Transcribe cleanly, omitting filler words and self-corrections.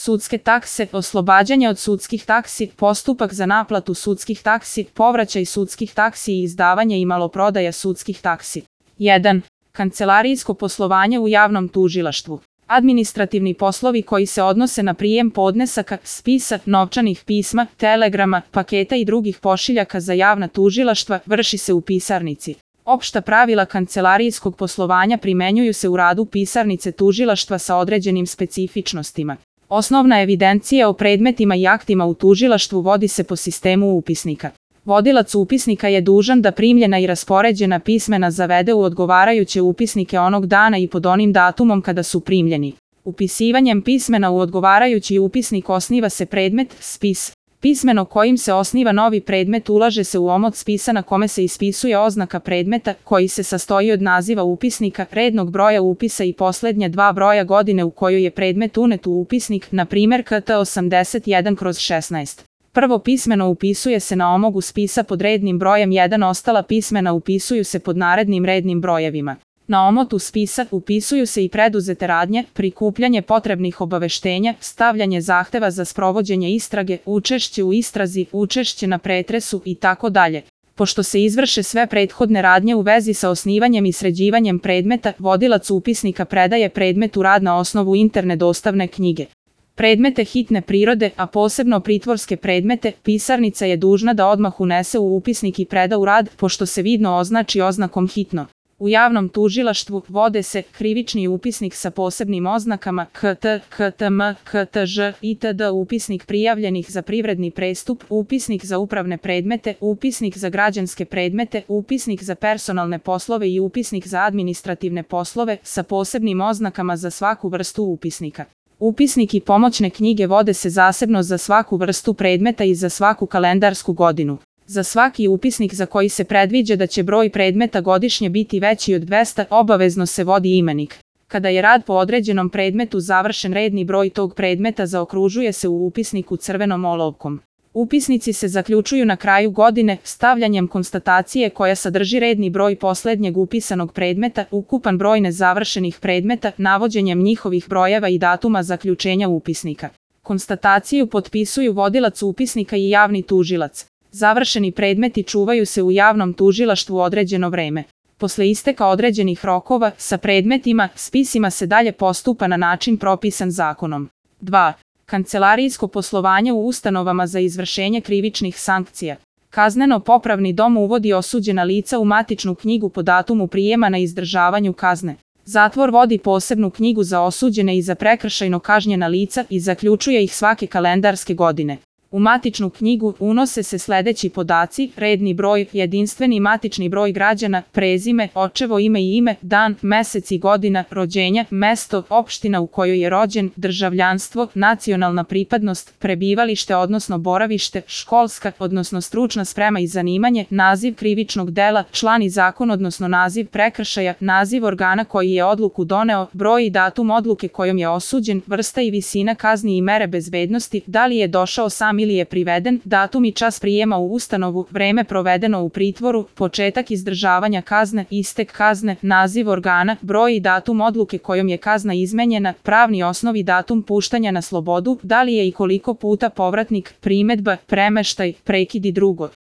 sudske takse, oslobađanje od sudskih taksi, postupak za naplatu sudskih taksi, povraćaj sudskih taksi i izdavanje i maloprodaja sudskih taksi. 1. Kancelarijsko poslovanje u javnom tužilaštvu. Administrativni poslovi koji se odnose na prijem podnesaka, spisa, novčanih pisma, telegrama, paketa i drugih pošiljaka za javna tužilaštva vrši se u pisarnici. Opšta pravila kancelarijskog poslovanja primenjuju se u radu pisarnice tužilaštva sa određenim specifičnostima. Osnovna evidencija o predmetima i aktima u tužilaštvu vodi se po sistemu upisnika. Vodilac upisnika je dužan da primljena i raspoređena pismena zavede u odgovarajuće upisnike onog dana i pod onim datumom kada su primljeni. Upisivanjem pismena u odgovarajući upisnik osniva se predmet, spis. Pismeno kojim se osniva novi predmet ulaže se u omot spisa na kome se ispisuje oznaka predmeta, koji se sastoji od naziva upisnika, rednog broja upisa i poslednje 2 broja godine u kojoj je predmet unet u upisnik, na primjer KT 81/16. Prvo pismeno upisuje se na omogu spisa pod rednim brojem 1, ostala pismena upisuju se pod narednim rednim brojevima. Na omotu spisa upisuju se i preduzete radnje, prikupljanje potrebnih obaveštenja, stavljanje zahteva za sprovođenje istrage, učešće u istrazi, učešće na pretresu itd. Pošto se izvrše sve prethodne radnje u vezi sa osnivanjem i sređivanjem predmeta, vodilac upisnika predaje predmet u rad na osnovu interne dostavne knjige. Predmete hitne prirode, a posebno pritvorske predmete, pisarnica je dužna da odmah unese u upisnik i preda u rad, pošto se vidno označi oznakom hitno. U javnom tužilaštvu vode se krivični upisnik sa posebnim oznakama KT, KTM, KTŽ itd., upisnik prijavljenih za privredni prestup, upisnik za upravne predmete, upisnik za građanske predmete, upisnik za personalne poslove i upisnik za administrativne poslove sa posebnim oznakama za svaku vrstu upisnika. Upisnik i pomoćne knjige vode se zasebno za svaku vrstu predmeta i za svaku kalendarsku godinu. Za svaki upisnik za koji se predviđa da će broj predmeta godišnje biti veći od 200, obavezno se vodi imenik. Kada je rad po određenom predmetu završen, redni broj tog predmeta zaokružuje se u upisniku crvenom olovkom. Upisnici se zaključuju na kraju godine stavljanjem konstatacije koja sadrži redni broj poslednjeg upisanog predmeta, ukupan broj nezavršenih predmeta, navođenjem njihovih brojeva i datuma zaključenja upisnika. Konstataciju potpisuju vodilac upisnika i javni tužilac. Završeni predmeti čuvaju se u javnom tužilaštvu određeno vreme. Posle isteka određenih rokova, sa predmetima, spisima se dalje postupa na način propisan zakonom. 2. Kancelarijsko poslovanje u ustanovama za izvršenje krivičnih sankcija. Kazneno-popravni dom uvodi osuđena lica u matičnu knjigu po datumu prijema na izdržavanju kazne. Zatvor vodi posebnu knjigu za osuđene i za prekršajno kažnjena lica i zaključuje ih svake kalendarske godine. U matičnu knjigu unose se sledeći podaci: redni broj, jedinstveni matični broj građana, prezime, očevo ime i ime, dan, mesec i godina rođenja, mesto, opština u kojoj je rođen, državljanstvo, nacionalna pripadnost, prebivalište odnosno boravište, školska odnosno stručna sprema i zanimanje, naziv krivičnog dela, član i zakon odnosno naziv prekršaja, naziv organa koji je odluku doneo, broj i datum odluke kojom je osuđen, vrsta i visina kazni i mere bezbednosti, da li je došao sam ili je priveden, datum i čas prijema u ustanovu, vreme provedeno u pritvoru, početak izdržavanja kazne, istek kazne, naziv organa, broj i datum odluke kojom je kazna izmenjena, pravni osnov i datum puštanja na slobodu, da li je i koliko puta povratnik, primedba, premeštaj, prekid i drugo.